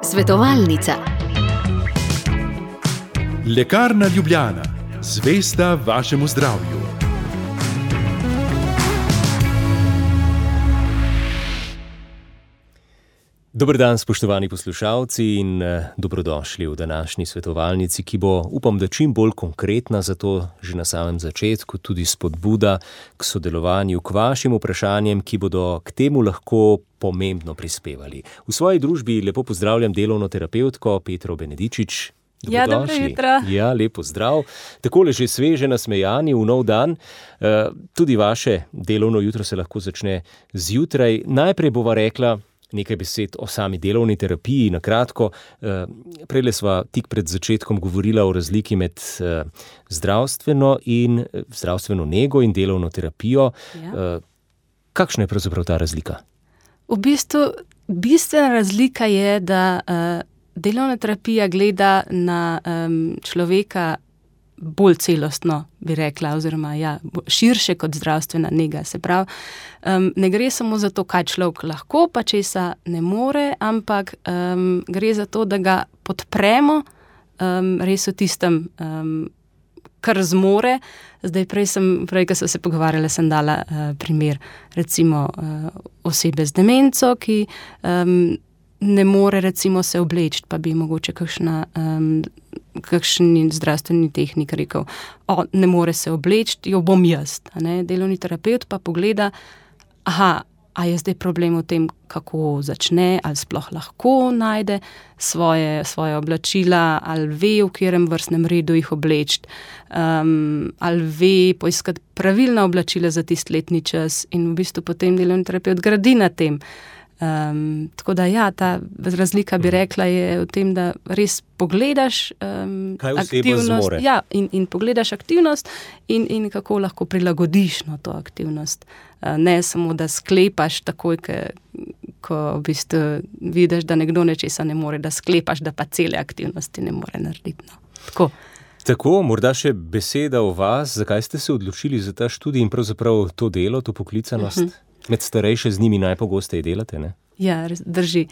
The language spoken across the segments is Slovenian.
Svetovalnica. Lekarna Ljubljana, zvesta vašemu zdravju. Dober dan, spoštovani poslušalci, in dobrodošli v današnji svetovalnici, ki bo, upam, da čim bolj konkretna, zato že na samem začetku tudi spodbuda k sodelovanju, k vašim vprašanjem, ki bodo k temu lahko pomembno prispevali. V svoji družbi lepo pozdravljam delovno terapevtko Petro Benedičič. Ja, dobro jutro. Ja, lepo zdrav. Takole že sveže nasmejani v nov dan. Tudi vaše delovno jutro se lahko začne zjutraj. Najprej bova rekla nekaj besed o sami delovni terapiji, na kratko. Prejle sva tik pred začetkom govorila o razliki med zdravstveno nego in delovno terapijo. Ja. Kakšna je pravzaprav ta razlika? V bistvu, bistvena razlika je, da delovna terapija gleda na človeka bolj celostno, bi rekla, oziroma širše kot zdravstvena nega. Se pravi, ne gre samo za to, kaj človek lahko, pa česa ne more, ampak gre za to, da ga podpremo res v tistem, kar zmore. Zdaj, prej, ko sem se pogovarjala, sem dala primer, recimo osebe z demenco, ki ne more recimo se obleči, pa bi mogoče kakšen zdravstveni tehnik rekel, ne more se obleči, jo bom jaz. Delovni terapevt pa pogleda, a je zdaj problem v tem, kako začne, ali sploh lahko najde svoje oblačila, ali ve, v katerem vrstnem redu jih obleči, ali ve poiskati pravilna oblačila za tisti letni čas, in v bistvu potem delovni terapevt gradi na tem. Tako da ta razlika, bi rekla, je v tem, da res pogledaš aktivnost, in pogledaš aktivnost in kako lahko prilagodiš to aktivnost. Ne samo, da sklepaš takoj, ko v bistvu vidiš, da nekdo nečesa ne more, da sklepaš, da pa cele aktivnosti ne more narediti. Tako, morda še beseda o vas, zakaj ste se odločili za ta študij in pravzaprav to delo, to poklicanost? Med starejše z njimi najpogosteje delate, ne? Ja, drži.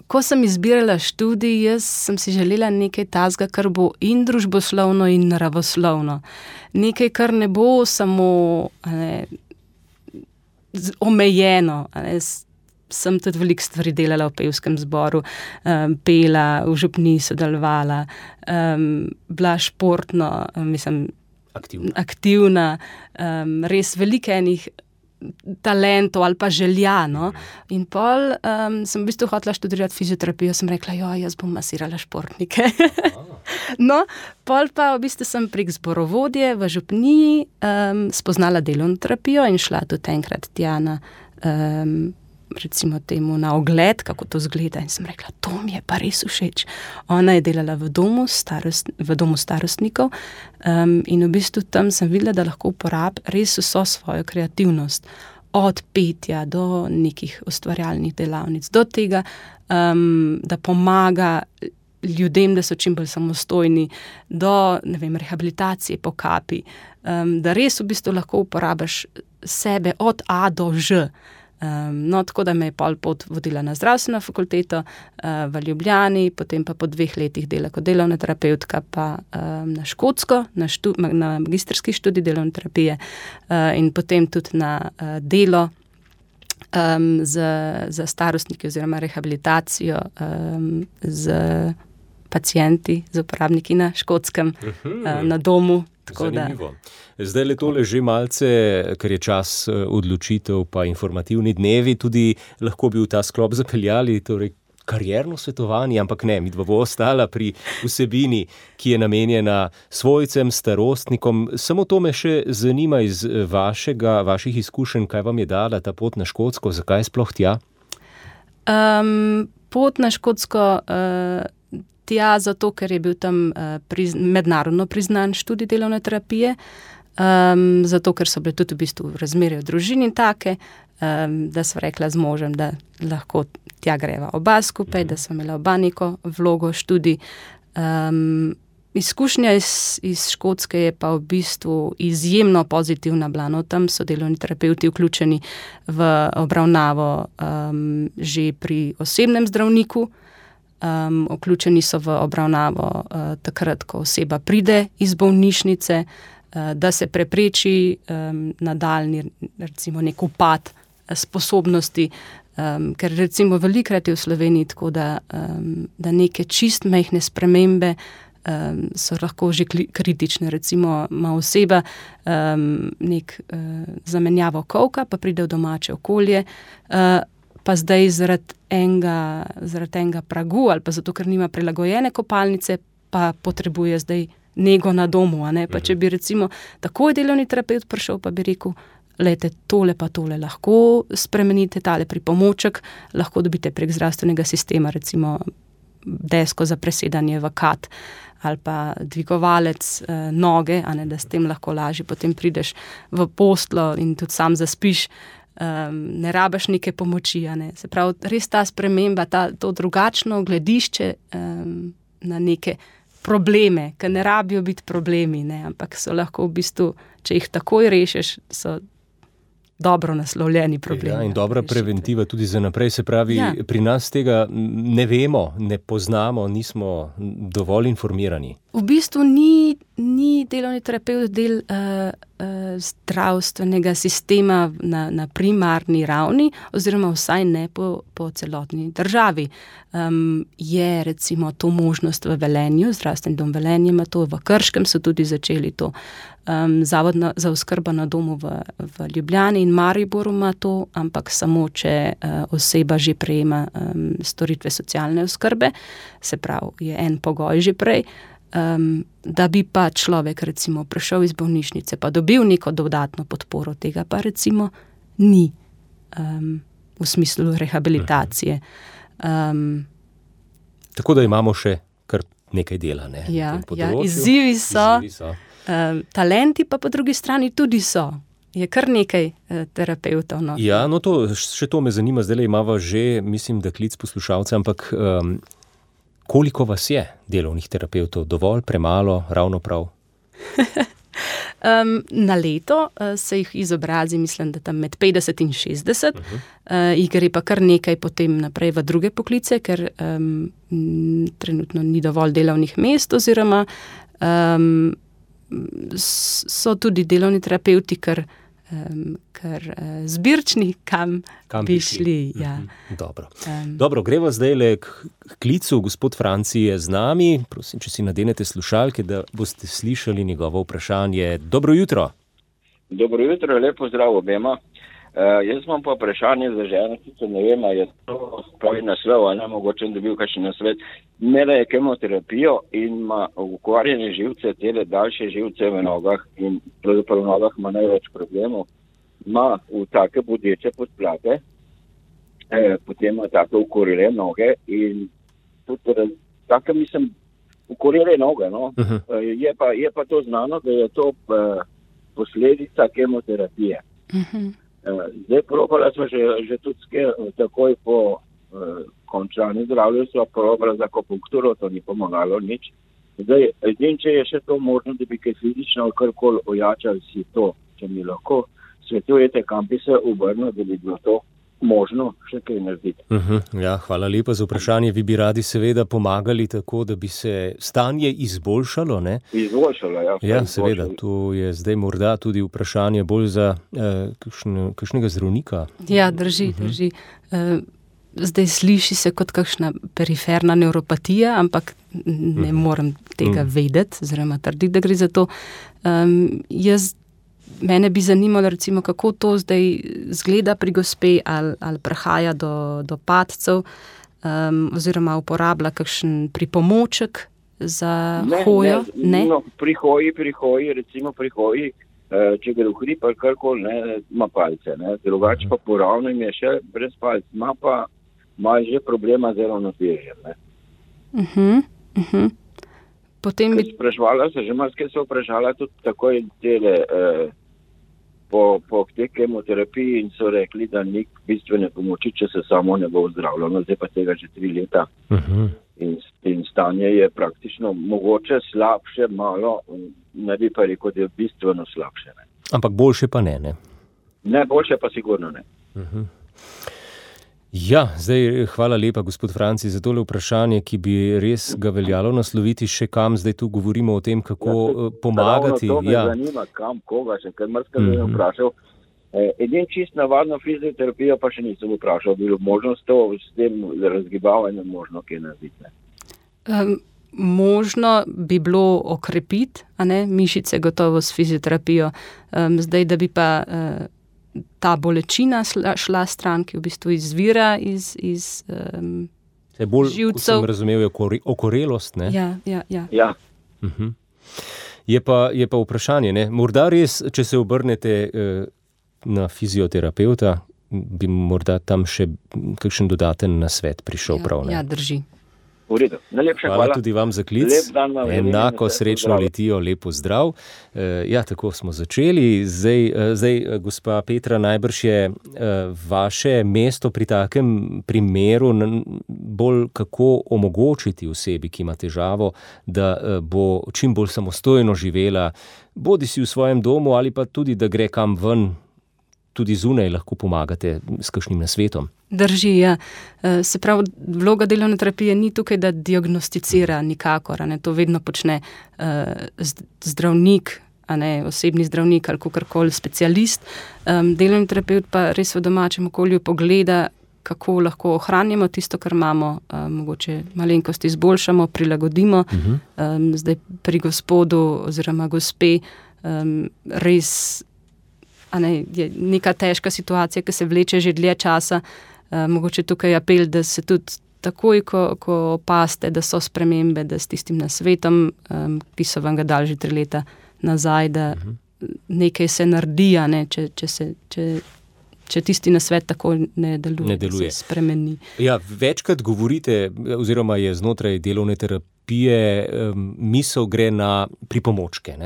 Ko sem izbirala študij, jaz sem si želela nekaj takega, kar bo in družboslovno in naravoslovno. Nekaj, kar ne bo samo omejeno. Sem tudi veliko stvari delala v pevskem zboru, pela, v župniji sodelovala, bila športno, aktivna, res veliko enih talentov ali pa želja. In pol sem v bistvu hotela študirati fizioterapijo, sem rekla, jaz bom masirala športnike. Pol pa v bistvu sem prek zborovodje v župniji spoznala delovno terapijo in šla tudi enkrat tja na recimo temu na ogled, kako to zgleda, in sem rekla, to mi je pa res všeč. Ona je delala v domu starostnikov in v bistvu tam sem videla, da lahko uporabi res vso svojo kreativnost, od petja do nekih ustvarjalnih delavnic, do tega, da pomaga ljudem, da so čim bolj samostojni, do, rehabilitacije po kapi, da res v bistvu lahko uporabiš sebe od A do Ž. Tako da me je pol pot vodila na zdravstveno fakulteto v Ljubljani, potem pa po 2 letih dela kot delovna terapevtka pa na Škotsko, na magistrski študij delovne terapije in potem tudi na delo za starostnike oziroma rehabilitacijo z pacienti, z uporabniki na Škotskem, na domu. Zanimivo. Zdaj le tole že malce, ker je čas odločitev pa informativni dnevi, tudi lahko bi v ta sklop zapeljali, torej karierno svetovanje, ampak ne, midva bo ostala pri vsebini, ki je namenjena svojcem, starostnikom. Samo to me še zanima iz vaših izkušenj, kaj vam je dala ta pot na Škotsko, zakaj sploh tja? Pot na Škotsko tja zato, ker je bil tam mednarodno priznan študij delovne terapije, zato, ker so bile tudi v bistvu razmere v družini take, da sva rekla z možem, da lahko tja greva oba skupaj, da sva imela oba neko vlogo študij. Izkušnja iz Škotske je pa v bistvu izjemno pozitivna bila. No, tam so delovni terapevti vključeni v obravnavo že pri osebnem zdravniku, vključeni so v obravnavo takrat, ko oseba pride iz bolnišnice, da se prepreči nadaljnji, recimo, nek upad sposobnosti, ker recimo velikokrat je v Sloveniji tako, da neke čist majhne spremembe so lahko že kritične. Recimo ima oseba nek zamenjavo kolka, pa pride v domače okolje, pa zdaj zaradi enega pragu ali pa zato, ker nima prilagojene kopalnice, pa potrebuje zdaj nego na domu. A ne? Pa če bi recimo takoj delovni terapevt prišel, pa bi rekel, lejte, tole pa tole lahko spremenite, tale pripomoček lahko dobite prek zdravstvenega sistema, recimo desko za presedanje v kat ali pa dvigovalec noge, a ne, da s tem lahko lažje potem prideš v posteljo in tudi sam zaspiš, ne rabiš neke pomoči. A ne. Se pravi, res ta sprememba, to drugačno gledišče na neke probleme, ki ne rabijo biti problemi, ne, ampak so lahko v bistvu, če jih takoj rešiš, so dobro naslovljeni problemi. Ja, in dobra preventiva tudi za naprej. Se pravi, pri nas tega ne vemo, ne poznamo, nismo dovolj informirani. V bistvu ni delovni terapevt del zdravstvenega sistema na primarni ravni, oziroma vsaj ne po celotni državi. Je recimo to možnost v Velenju, zdravstveni dom Velenje ima to, v Krškem so tudi začeli to. Zavod za oskrbo na domu v Ljubljani in Mariboru ima to, ampak samo, če oseba že prejema storitve socialne oskrbe, se pravi, je en pogoj že prej, da bi pa človek recimo prišel iz bolnišnice, pa dobil neko dodatno podporo, tega pa recimo ni v smislu rehabilitacije. Tako da imamo še kar nekaj dela, ne? Ja, izzivi so. Talenti pa po drugi strani tudi so. Je kar nekaj terapevtov. No. Ja, no še to me zanima, zdaj imava že, mislim, da klic poslušalca, ampak koliko vas je delovnih terapevtov? Dovolj, premalo, ravno prav? Na leto se jih izobrazi, mislim, da tam med 50 in 60. Jih gre pa kar nekaj potem naprej v druge poklice, ker trenutno ni dovolj delovnih mest, oziroma so tudi delovni terapevti kar zbirčni, kam bi šli. Ja. Dobro, greva zdaj k klicu. Gospod Franci je z nami. Prosim, če si nadenete slušalke, da boste slišali njegovo vprašanje. Dobro jutro. Dobro jutro, lepo zdrav obema. Jaz imam pa vprašanje za ženo, sicer ne vem, je to pravi naslov, ali ne, mogoče dobil kakšen nasvet. Imela je kemoterapijo in ima ukvarjene živce, tele daljše živce v nogah in pravzaprav v nogah ima največ problemov. Ima v take bodeče podplate, potem ima take ukorele noge in tudi take, mislim, ukorele noge, no. Je pa to znano, da je to posledica kemoterapije. Zdaj probala smo že tudi takoj po končani zdravljenju, smo probala za akupunkturo, to ni pomagalo nič. Zdaj, če je še to možno, da bi kaj fizično karkoli ojačali si to, če mi lahko svetujete, kam bi se obrnil, da bi bilo to možno še kaj narediti. Ja, hvala lepa za vprašanje. Vi bi radi seveda pomagali tako, da bi se stanje izboljšalo, ne? Izboljšalo, ja. Ja, seveda. To je zdaj morda tudi vprašanje bolj za kakšnega zdravnika. Ja, drži. Zdaj sliši se kot kakšna periferna nevropatija, ampak ne morem tega vedeti, oziroma trditi, da gre za to. Mene bi zanimalo, recimo, kako to zdaj zgleda pri gospe, ali prihaja do padcev, oziroma uporablja kakšen pripomoček za hojo? Ne? No, pri hoji, če gre v hrib ali karkoli, ima palce. Drugače pa poravno im je še brez palc. Ima že problema z ravnotežjem. Potem bi... Sprašvala se, že marsikaj so vprašala tudi takoj tele po tej kemoterapiji in so rekli, da ni bistvene pomoči, če se samo ne bo zdravljeno. Zdaj pa tega že 3 leta. in stanje je praktično mogoče slabše malo, ne bi pa rekel, da je bistveno slabše. Ne. Ampak boljše pa ne? Ne, boljše pa sigurno ne. Ja, zdaj hvala lepa, gospod Franci, za tole vprašanje, ki bi res ga veljalo nasloviti še kam. Zdaj tu govorimo o tem, kako pomagati. To me zanima, kam, koga še, ker marsikaj sem vprašal. Edin čist navadno fizioterapijo pa še nisem vprašal, bilo možnost to s tem razgibavanjem možno kaj narediti. Možno bi bilo okrepiti, mišice gotovo s fizioterapijo. Zdaj, da bi pa ta bolečina šla stran, ki v bistvu izvira iz bolj, živcev. Kot sem razumel, je okorelost, ne? Ja. Je pa vprašanje, ne? Morda res, če se obrnete na fizioterapeuta, bi morda tam še kakšen dodaten nasvet prišel prav, ne? Ja, drži. Hvala tudi vam za klic. Enako srečno letijo, lepo zdrav. Ja, tako smo začeli. Zdaj, gospa Petra, najbrž je vaše mesto pri takem primeru bolj kako omogočiti osebi, ki ima težavo, da bo čim bolj samostojno živela, bodi si v svojem domu ali pa tudi, da gre kam ven, tudi zunaj lahko pomagate s kakšnim nasvetom. Drži, ja. Se pravi, vloga delovne terapije ni tukaj, da diagnosticira nikakor, to vedno počne zdravnik, osebni zdravnik ali kakorkoli specialist. Delovni terapeut pa res v domačem okolju pogleda, kako lahko ohranjamo tisto, kar imamo, mogoče malenkost izboljšamo, prilagodimo. Zdaj pri gospodu oziroma gospe res je neka težka situacija, ki se vleče že dlje časa. Mogoče tukaj apel, da se tudi takoj, ko opazite, da so spremembe, da s tistim nasvetom, ki so vam ga dali že 3 leta nazaj, da nekaj se naredi, če tisti nasvet tako ne deluje. Se spremeni. Ja, večkrat govorite, oziroma je znotraj delovne terapije misel gre na pripomočke,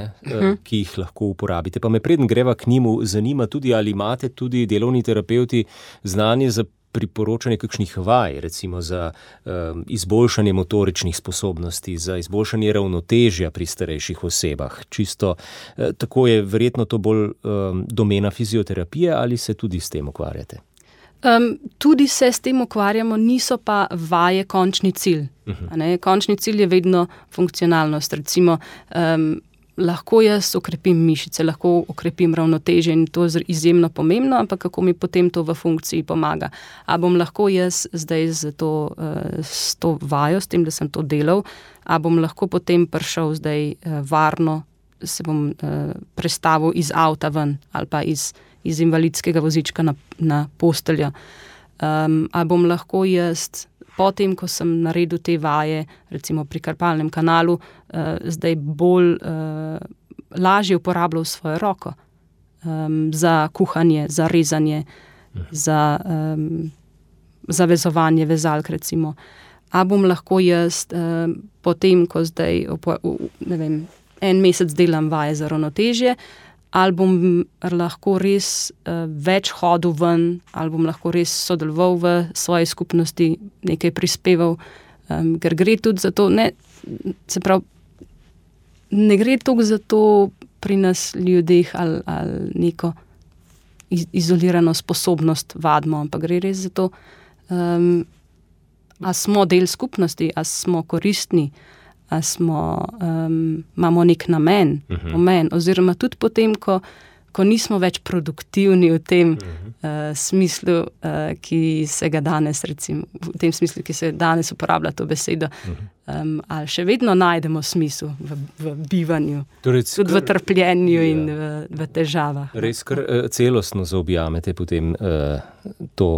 ki jih lahko uporabite. Pa me preden greva k njemu zanima tudi, ali imate tudi delovni terapeuti znanje za priporočanje kakšnih vaj, recimo za izboljšanje motoričnih sposobnosti, za izboljšanje ravnotežja pri starejših osebah. Čisto tako je verjetno to bolj domena fizioterapije, ali se tudi s tem ukvarjate? Tudi se s tem ukvarjamo, niso pa vaje končni cilj. Končni cilj je vedno funkcionalnost. Recimo, lahko jaz okrepim mišice, lahko okrepim ravnotežje in to je izjemno pomembno, ampak kako mi potem to v funkciji pomaga. A bom lahko jaz zdaj s to vajo, s tem, da sem to delal, a bom lahko potem prišel zdaj varno, se bom prestavil iz avta ven ali pa iz invalidskega vozička na posteljo. A bom lahko jaz potem, ko sem naredil te vaje, recimo pri karpalnem kanalu, zdaj bolj lažje uporabljal svojo roko za kuhanje, za rezanje, za vezovanje vezalk, recimo. A bom lahko jaz potem, ko zdaj, en mesec delam vaje za ravnotežje, ali bom lahko res več hodil ven, ali bom lahko res sodeloval v svoji skupnosti, nekaj prispeval, ker gre tudi za to, ne gre toliko za to pri nas ljudeh ali neko izolirano sposobnost vadimo, ampak gre res za to, a smo del skupnosti, a smo koristni, a imamo nek namen, pomen, oziroma tudi potem, ko nismo več produktivni v tem smislu, ki se ga danes, recimo, v tem smislu, ki se danes uporablja to besedo, ali še vedno najdemo smisel v bivanju, tudi v trpljenju in v težavah. Res kar celostno zaobjamete potem to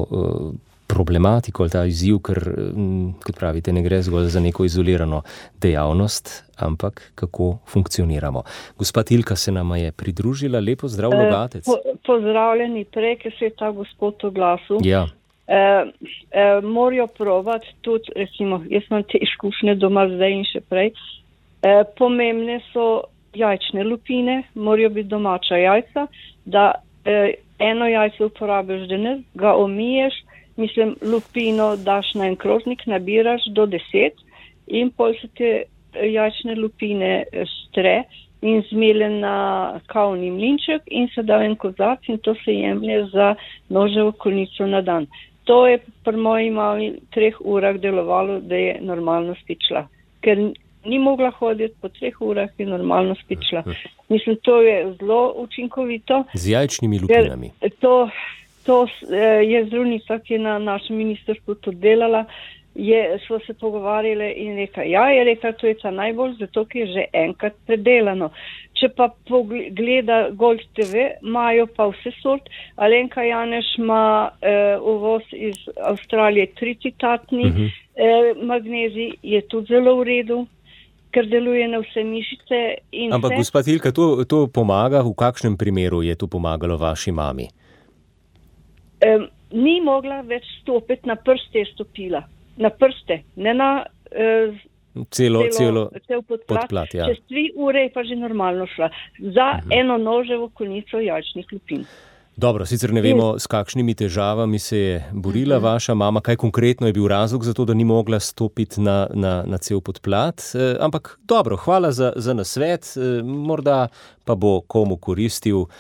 problematiko ali ta izziv, ker, kot pravite, ne gre zgolj za neko izolirano dejavnost, ampak kako funkcioniramo. Gospa Tilka se nama je pridružila. Lepo zdrav, Logatec. Pozdravljeni, prej, ker se je ta gospod oglasil. Ja. Morajo probati tudi, recimo, jaz imam te izkušnje doma zdaj in še prej, pomembne so jajčne lupine, morajo biti domača jajca, da eno jajce uporabiš danes, ga omiješ, lupino daš na en krožnik, nabiraš do 10 in pol se te jajčne lupine stre in zmele na kavni mlinček in se da en kozarc in to se jemlje za noževo konico na dan. To je pri moji mami 3 urah delovalo, da je normalno spičila. Ker ni mogla hoditi, po 3 urah je normalno spičila. Mislim, to je zelo učinkovito. Z jajčnimi lupinami. To je zdravnica, ki je na našem ministrstvu to delala, smo se pogovarjali in rekla, to je ta najbolj, zato ker je že enkrat predelano. Če pa pogleda Gold TV, imajo pa vse sort. Alenka Janeš ima uvoz iz Avstralije 3-citatni magnezij, je tudi zelo v redu, ker deluje na vse mišice. Ampak gospa Tilka, to pomaga, v kakšnem primeru je to pomagalo vaši mami? Ni mogla več stopiti, na prste je stopila. Na prste, ne na cel podplat. Ja. Čez 3 ure je pa že normalno šla. Za eno noževo konico jajčnih lupin. Dobro, sicer ne vemo, s kakšnimi težavami se je borila vaša mama, kaj konkretno je bil razlog za to, da ni mogla stopiti na cel podplat. Ampak dobro, hvala za nasvet, morda pa bo komu koristil.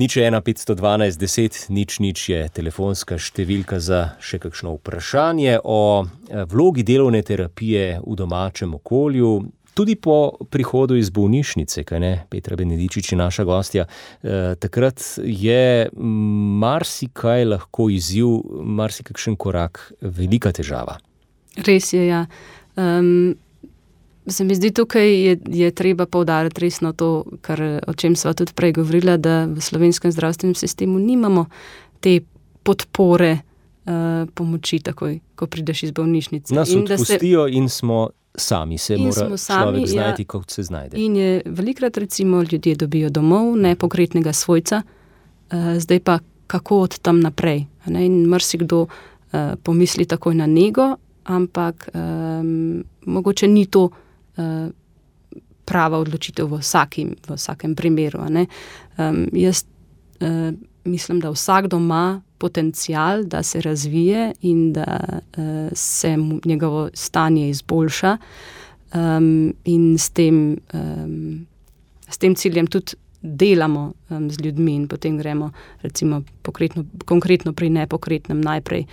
01512 10 00 je telefonska številka za še kakšno vprašanje o vlogi delovne terapije v domačem okolju. Tudi po prihodu iz bolnišnice, kaj ne, Petra Benedičič je naša gostja, takrat je marsikaj lahko izziv, marsikakšen korak, velika težava. Res je, ja. Se mi zdi, tukaj je treba poudariti resno to, o čem sva tudi prej govorila, da v slovenskem zdravstvenem sistemu nimamo te podpore pomoči takoj, ko prideš iz bolnišnice. Nas odpustijo in smo sami, mora človek znajti, kako se znajde. In je velikrat recimo ljudje dobijo domov nepokretnega svojca, zdaj pa kako od tam naprej. In marsikdo pomisli takoj na nego, ampak mogoče ni to prava odločitev v vsakem primeru. Jaz mislim, da vsakdo ima potencial, da se razvije in da se njegovo stanje izboljša, in s tem ciljem tudi delamo z ljudmi in potem gremo recimo konkretno pri nepokretnem najprej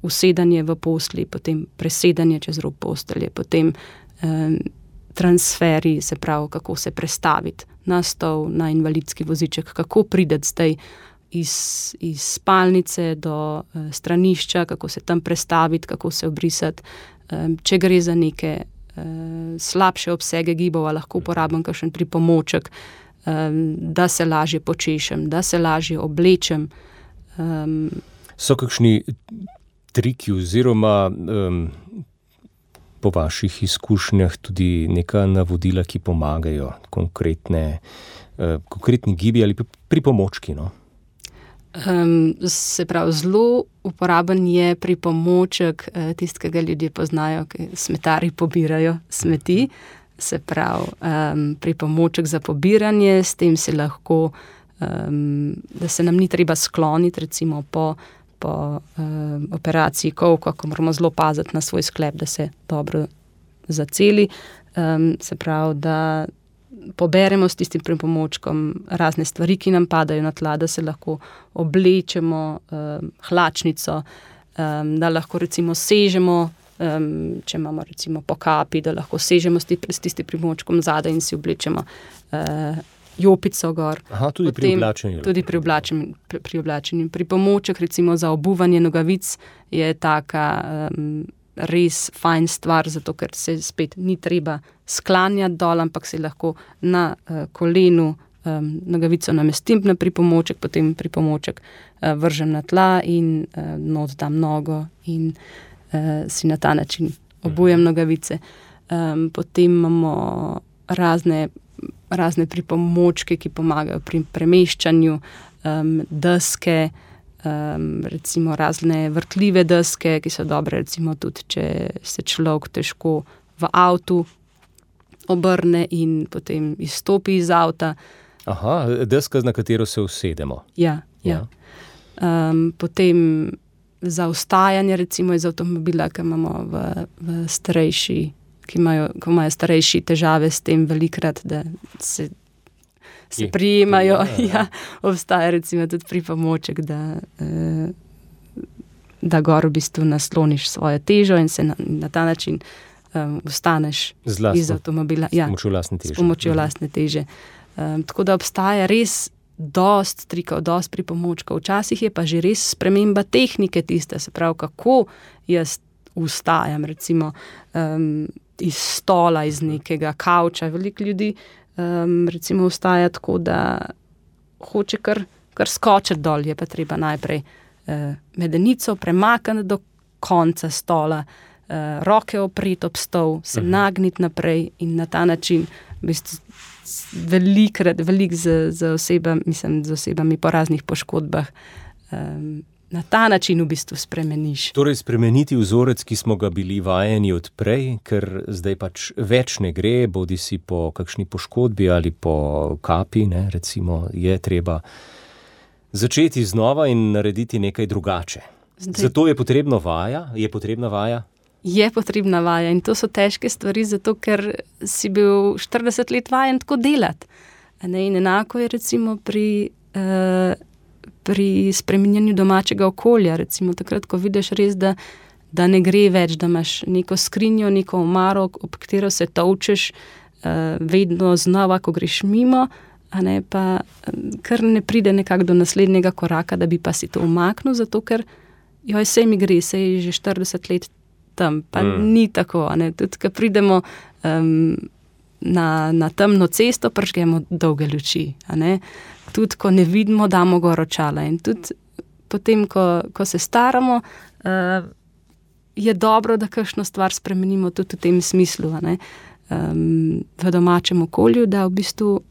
usedanje v postelji, potem presedanje čez rob postelje, potem transferi, se pravi, kako se prestaviti na stol, na invalidski voziček, kako priti zdaj iz spalnice do stranišča, kako se tam prestaviti, kako se obrisati. Če gre za neke slabše obsege gibov, lahko uporabim kakšen pripomoček, da se lažje počešem, da se lažje oblečem. So kakšni triki oziroma po vaših izkušnjah tudi neka navodila, ki pomagajo, konkretni gibi ali pripomočki, no? Se pravi, zelo uporaben je pripomoček, tistega ljudje poznajo, ki smetarji pobirajo smeti, se pravi, pripomoček za pobiranje, s tem se lahko, da se nam ni treba skloniti, recimo po operaciji kolka, ko moramo zelo paziti na svoj sklep, da se dobro zaceli. Se pravi, da poberemo s tistim pripomočkom razne stvari, ki nam padajo na tla, da se lahko oblečemo, hlačnico, da lahko recimo sežemo, če imamo recimo po kapi, da lahko sežemo s tistim pripomočkom zadaj in si oblečemo jopico gor. Aha, tudi pri oblačenju. Tudi pri oblačenju. Pripomoček recimo za obuvanje nogavic je taka res fajn stvar, zato ker se spet ni treba sklanjati dol, ampak se lahko na kolenu nogavico namestim na pripomoček, potem pripomoček vržem na tla in not dam nogo in si na ta način obujem nogavice. Potem imamo razne pripomočke, ki pomagajo pri premeščanju, deske, recimo razne vrtljive deske, ki so dobre recimo tudi, če se človek težko v avtu obrne in potem izstopi iz avta. Aha, deska, na katero se usedemo. Ja. Potem za vstajanje recimo iz avtomobila, ki imamo v starejši ko imajo starejši težave s tem velikrat, da se prijemajo. Ja, obstaja recimo tudi pripomoček, da gor v bistvu nasloniš svojo težo in se na ta način vstaneš iz avtomobila. S pomočjo lastne teže. Tako da obstaja res dost trikov, dost pripomočkov. Včasih je pa že res sprememba tehnike tiste, se pravi, kako jaz vstajam, recimo iz stola, iz nekega kavča. Veliko ljudi recimo vstaja tako, da hoče kar skočiti dol, je pa treba najprej medenico premakniti do konca stola, roke opreti ob stol, se nagniti naprej in na ta način v bistvu veliko z osebami po raznih poškodbah na ta način v bistvu spremeniš. Torej spremeniti vzorec, ki smo ga bili vajeni odprej, ker zdaj pač več ne gre, bodi si po kakšni poškodbi ali po kapi, ne, recimo, je treba začeti znova in narediti nekaj drugače. Zato je potrebna vaja? Je potrebna vaja in to so težke stvari, zato ker si bil 40 let vajen tako delati. In enako je recimo pri spreminjanju domačega okolja. Recimo takrat, ko vidiš res, da ne gre več, da imaš neko skrinjo, neko omaro, ob katero se tolčeš vedno znova, ko greš mimo, pa kar ne pride nekako do naslednjega koraka, da bi pa si to umaknil, zato ker sej mi gre, sej je že 40 let tam, pa ni tako. Tudi, ko pridemo na temno cesto, prižgemo dolge luči. Tudi, ko ne vidimo, damo gor očala. In tudi potem, ko se staramo, je dobro, da kakšno stvar spremenimo tudi v tem smislu, v domačem okolju, da v bistvu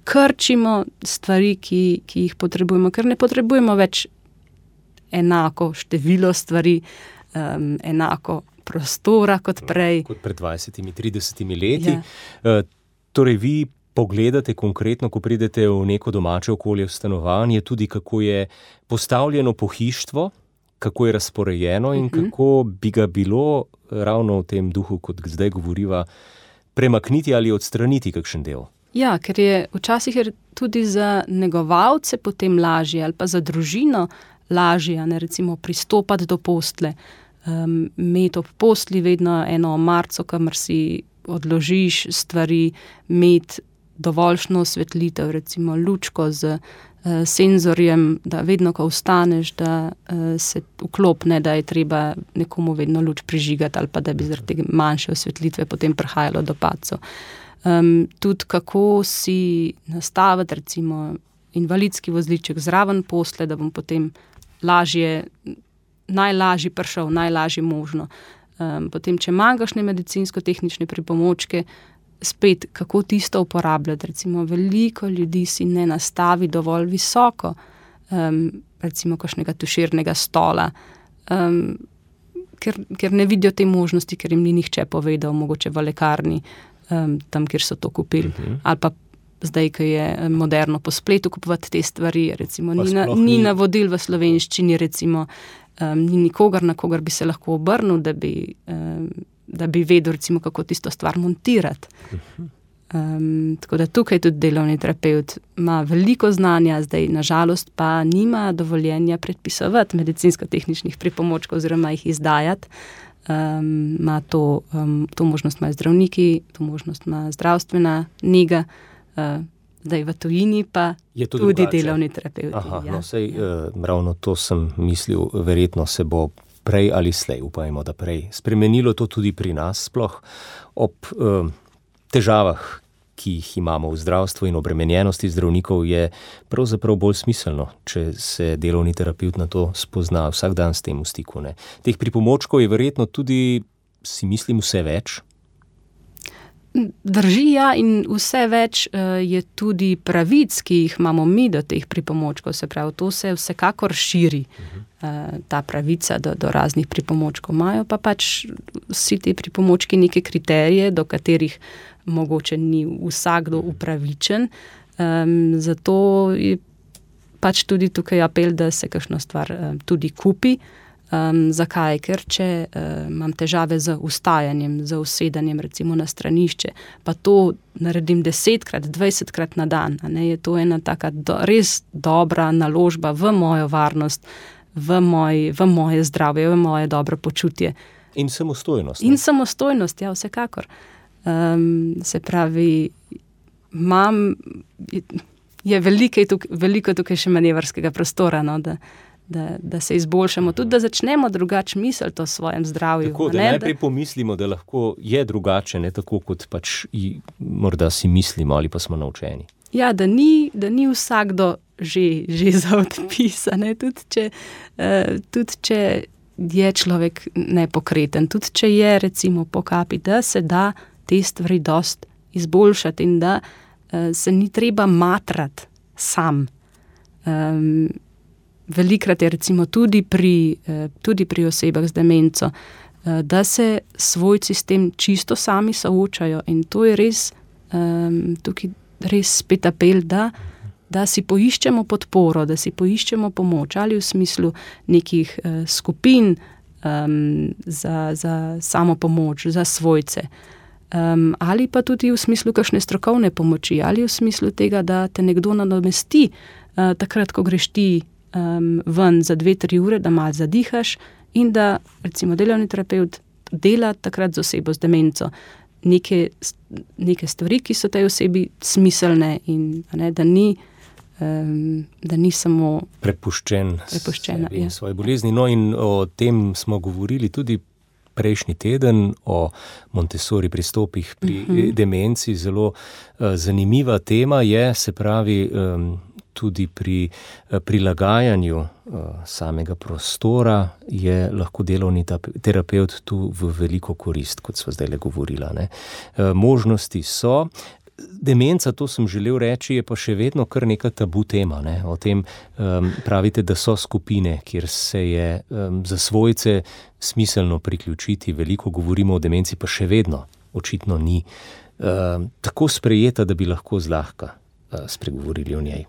krčimo stvari, ki jih potrebujemo, ker ne potrebujemo več enako število stvari, enako prostora kot prej. Kot pred 20-30 leti. Ja. Torej vi pogledate konkretno, ko pridete v neko domače okolje, v stanovanje, tudi kako je postavljeno pohištvo, kako je razporejeno in kako bi ga bilo ravno v tem duhu, kot zdaj govoriva, premakniti ali odstraniti kakšen del. Ja, ker je včasih tudi za negovalce potem lažje ali pa za družino lažje, recimo pristopati do postle, imeti ob postli vedno eno omarico, kamor si odložiš stvari, imeti dovoljšno osvetlitev, recimo lučko z senzorjem, da vedno, ko vstaneš, da se vklopne, da je treba nekomu vedno luč prižigati ali pa da bi zaradi tega manjše osvetlitve potem prihajalo do padcev. Tudi kako si nastaviti recimo invalidski vozliček zraven posle, da bom potem najlažje prišel, najlažje možno. Potem, če manjkaš medicinsko-tehnične pripomočke, spet, kako tisto uporabljati. Recimo, veliko ljudi si ne nastavi dovolj visoko, recimo, kakšnega tuširnega stola, ker ne vidijo te možnosti, ker jim ni nihče povedal, mogoče v lekarni, tam, kjer so to kupili. Ali pa zdaj, ko je moderno po spletu kupovati te stvari, recimo, ni navodil v slovenščini, recimo, ni nikogar, na kogar bi se lahko obrnil, da bi vedel, recimo, kako tisto stvar montirati. Tako da tukaj tudi delovni terapevt ima veliko znanja, zdaj nažalost pa nima dovoljenja predpisovati medicinsko-tehničnih pripomočkov oziroma jih izdajati. Ima to možnost imajo zdravniki, to možnost ima zdravstvena nega, zdaj v tujini pa tudi drugače. Delovni terapevti. Ravno to sem mislil, verjetno se bo prej ali slej, upajmo, da prej, spremenilo to tudi pri nas, sploh ob težavah, ki jih imamo v zdravstvu in obremenjenosti zdravnikov, je pravzaprav bolj smiselno, če se delovni terapevt na to spozna vsak dan s tem v stiku. Teh pripomočkov je verjetno tudi, si mislim, vse več. Drži, ja, in vse več je tudi pravic, ki jih imamo mi do teh pripomočkov, se pravi, to se vsekakor širi, ta pravica do raznih pripomočkov. Imajo pa pač vsi ti pripomočki neke kriterije, do katerih mogoče ni vsakdo upravičen, zato je pač tudi tukaj apel, da se kakšno stvar tudi kupi, Zakaj? Ker če imam težave z vstajanjem, z usedanjem recimo na stranišče, pa to naredim 10-krat, 20-krat na dan, je to ena taka res dobra naložba v mojo varnost, v moje zdravje, v moje dobro počutje. In samostojnost. In samostojnost, ja, vsekakor. Se pravi, je veliko tukaj še manevrskega prostora, da se izboljšamo, tudi da začnemo drugače misliti o svojem zdravju. Tako, da najprej pomislimo, da lahko je drugače, ne tako, kot pač morda si mislimo ali pa smo naučeni. Ja, da ni vsakdo že za odpis, tudi če je človek nepokreten, tudi če je recimo po kapi, da se da te stvari dost izboljšati in da se ni treba matrati sam. Velikrat je recimo tudi pri osebah z demenco, da se svojci s tem čisto sami soočajo in to je res, tukaj res spet apel, da si poiščemo podporo, da si poiščemo pomoč ali v smislu nekih skupin za samo pomoč, za svojce. Ali pa tudi v smislu kakšne strokovne pomoči, ali v smislu tega, da te nekdo nadomesti takrat, ko greš ti ven za 2-3 ure, da malo zadihaš in da recimo delovni terapevt dela takrat z osebo z demenco neke stvari, ki so tej osebi smiselne in da ni samo prepuščena in svoje bolezni. No in o tem smo govorili tudi prejšnji teden, o Montessori pristopih pri demenci. Zelo zanimiva tema je, se pravi, tudi pri prilagajanju samega prostora je lahko delovni terapevt tu v veliko korist, kot sva zdajle govorila. Možnosti so. Demenca, to sem želel reči, je pa še vedno kar neka tabu tema. O tem pravite, da so skupine, kjer se je za svojce smiselno priključiti. Veliko govorimo o demenci, pa še vedno očitno ni tako sprejeta, da bi lahko zlahka spregovorili o njej.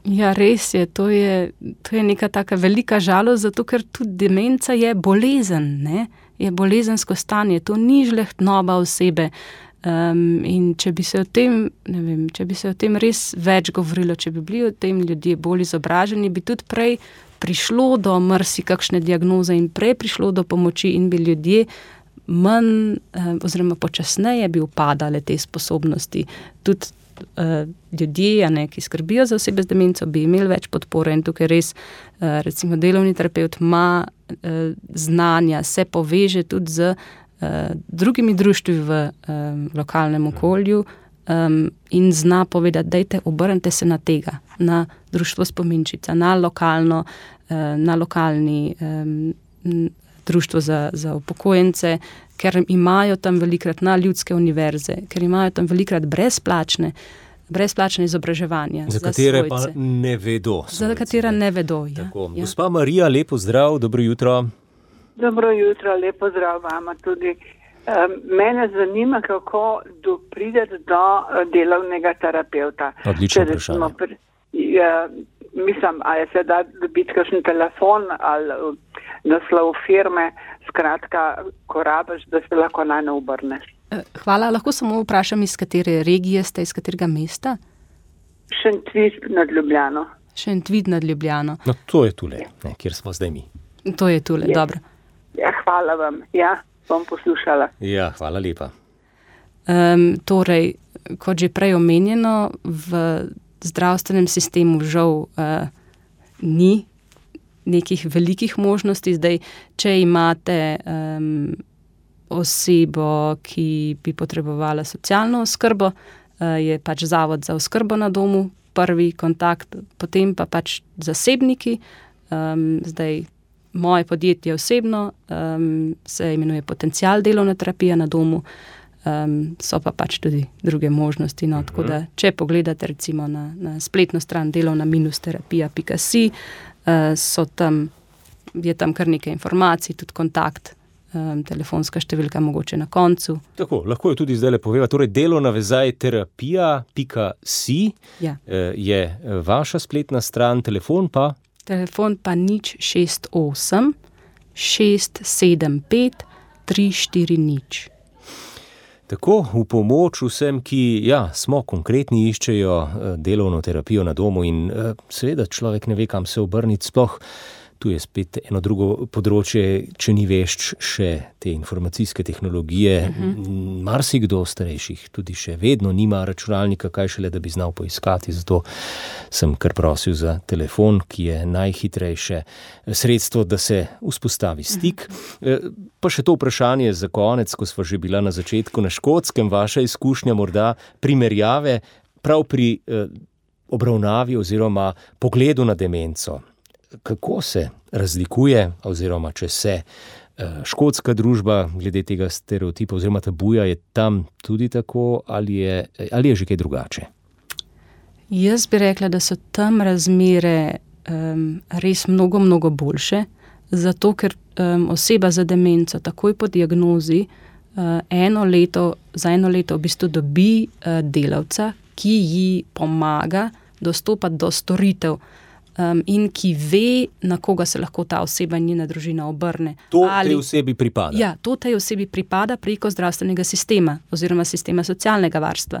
Ja, res je. To je neka taka velika žalost, zato ker tudi demenca je bolezen, je bolezensko stanje. To ni žlehtnoba osebe. In če bi se o tem res več govorilo, če bi bili o tem ljudje bolj izobraženi, bi tudi prej prišlo do marsikakšne diagnoze in prej prišlo do pomoči in bi ljudje manj oziroma počasneje bi upadale te sposobnosti. Tudi ljudje, ki skrbijo za osebe z demenco, bi imeli več podpore in tukaj res recimo delovni terapevt ima znanja, se poveže tudi z drugimi društvi v lokalnem okolju in zna povedati, dajte, obrnite se na tega, na društvo Spominčica, na lokalni društvo za upokojence, ker imajo tam velikrat na ljudske univerze, ker imajo tam velikrat brezplačne izobraževanja za katere svojce. Pa ne vedo. Za katera ne vedo, ja. Gospa Marija, lepo zdrav, dobro jutro. Dobro jutro, lepo zdrav vama tudi. Mene zanima, kako prideti do delovnega terapevta. Odlično vprašanje. Mislim, ali se da dobiti kakšen telefon ali naslov firme, skratka, ko rabiš, da se lahko najne obrneš. Hvala, lahko samo vprašam, iz katere regije ste, iz katerega mesta? Šentvid nad Ljubljano. Šentvid nad Ljubljano. No, to je tule, kjer smo zdaj mi. To je tule, dobro. Ja, hvala vam. Ja, bom poslušala. Ja, hvala lepa. Torej, kot že prej omenjeno, v zdravstvenem sistemu žal ni nekih velikih možnosti. Zdaj, če imate osebo, ki bi potrebovala socialno oskrbo, je pač Zavod za oskrbo na domu prvi kontakt, potem pa pač zasebniki. Zdaj, moje podjetje osebno se imenuje Potencial delovna terapija na domu, so pa pač tudi druge možnosti. No, tako da, če pogledate recimo na spletno stran delovna-terapija.si, je tam kar nekaj informacij, tudi kontakt, telefonska številka mogoče na koncu. Tako, lahko jo tudi zdaj poveva. Torej, delovna-terapija.si je vaša spletna stran, telefon pa? Telefon pa 068 675 340. Tako v pomoč vsem, ki smo konkretni, iščejo delovno terapijo na domu in seveda človek ne ve, kam se obrniti, sploh tu je spet eno drugo področje, če ni vešč še te informacijske tehnologije. Marsikdo starejših tudi še vedno nima računalnika, kaj šele, da bi znal poiskati, zato sem kar prosil za telefon, ki je najhitrejše sredstvo, da se vzpostavi stik. Pa še to vprašanje za konec, ko sva že bila na začetku na Škotskem, vaša izkušnja morda primerjave prav pri obravnavi oziroma pogledu na demenco. Kako se razlikuje, oziroma če se škotska družba glede tega stereotipa oziroma tabuja, je tam tudi tako ali je že kaj drugače? Jaz bi rekla, da so tam razmere res mnogo boljše, zato ker oseba za demenco takoj po diagnozi za eno leto v bistvu dobi delavca, ki ji pomaga dostopati do storitev in ki ve, na koga se lahko ta oseba in njena družina obrne. To tej osebi pripada? Ja, to tej osebi pripada preko zdravstvenega sistema oziroma sistema socialnega varstva.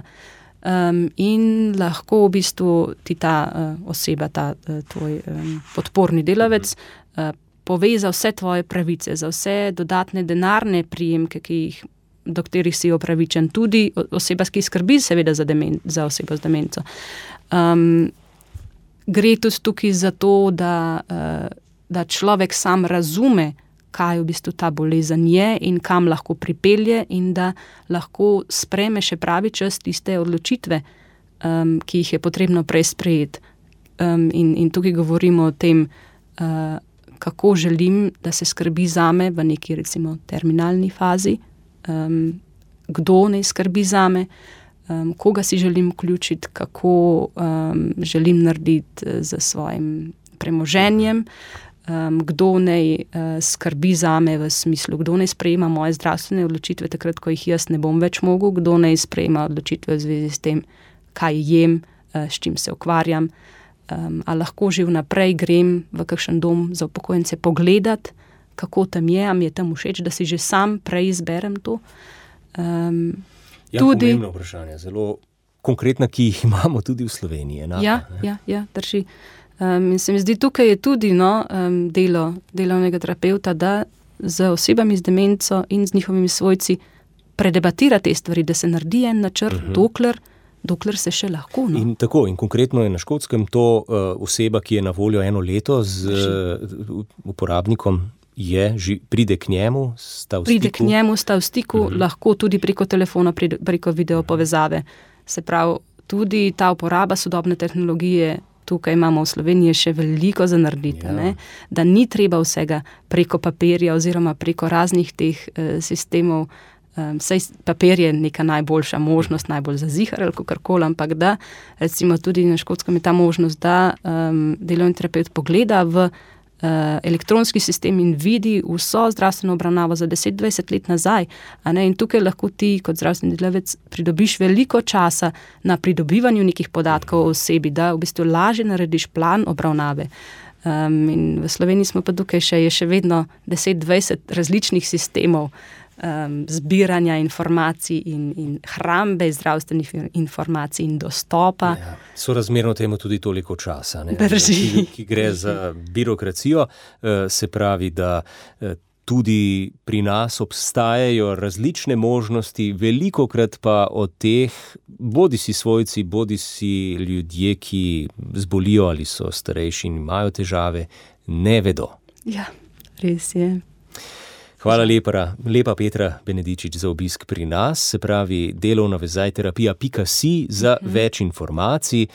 In lahko v bistvu ti ta oseba, ta tvoj podporni delavec, pove za vse tvoje pravice, za vse dodatne denarne prijemke, do katerih si upravičen, tudi oseba, ki skrbi seveda za osebo z demenco. Gre tudi tukaj za to, da človek sam razume, kaj v bistvu ta bolezen je in kam lahko pripelje in da lahko sprejme še pravi čas tiste odločitve, ki jih je potrebno prej sprejeti. In tukaj govorimo o tem, kako želim, da se skrbi zame v neki recimo terminalni fazi, kdo naj skrbi zame, koga si želim vključiti, kako želim narediti z svojim premoženjem, kdo naj skrbi zame v smislu, kdo naj sprejema moje zdravstvene odločitve takrat, ko jih jaz ne bom več mogel, kdo naj sprejema odločitve v zvezi s tem, kaj jem, s čim se ukvarjam, a lahko že vnaprej grem v kakšen dom za upokojence pogledati, kako tam je, a mi je tam všeč, da si že sam prej izberem to. Pomembno vprašanje, zelo konkretna, ki jih imamo tudi v Sloveniji. Ja, drži. In se mi zdi, tukaj je tudi delo delovnega terapevta, da z osebami z demenco in z njihovimi svojci predebatira te stvari, da se naredi en načrt, dokler se še lahko. In tako, in konkretno je na Škotskem to oseba, ki je na voljo 1 leto z uporabnikom, pride k njemu, sta v stiku, lahko tudi preko telefona, preko video povezave. Se pravi, tudi ta uporaba sodobne tehnologije, tukaj imamo v Sloveniji še veliko za narediti, da ni treba vsega preko papirja oziroma preko raznih teh sistemov, saj papir je neka najboljša možnost, najbolj zazihar ali kakorkoli, ampak da recimo tudi na Škotskem je ta možnost, da delovni terapevt pogleda v elektronski sistem in vidi vso zdravstveno obravnavo za 10-20 let nazaj. In tukaj lahko ti kot zdravstveni delavec pridobiš veliko časa na pridobivanju nekih podatkov o osebi, da v bistvu lažje narediš plan obravnave. In v Sloveniji smo pa tukaj je še vedno 10-20 različnih sistemov zbiranja informacij in hrambe zdravstvenih informacij in dostopa. Sorazmerno temu tudi toliko časa, ki gre za birokracijo, se pravi, da tudi pri nas obstajajo različne možnosti, velikokrat pa od teh bodisi svojci, bodisi ljudje, ki zbolijo ali so starejši in imajo težave, ne vedo. Ja, res je. Hvala lepa Petra Benedičič za obisk pri nas, se pravi delovnavezajterapija.si za več informacij,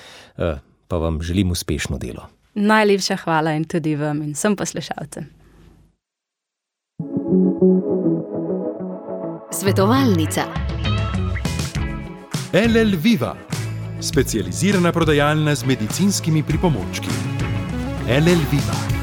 pa vam želim uspešno delo. Najlepša hvala in tudi vam in vsem poslušalcem. Svetovalnica. LL Viva, specializirana prodajalna z medicinskimi pripomočki. LL Viva.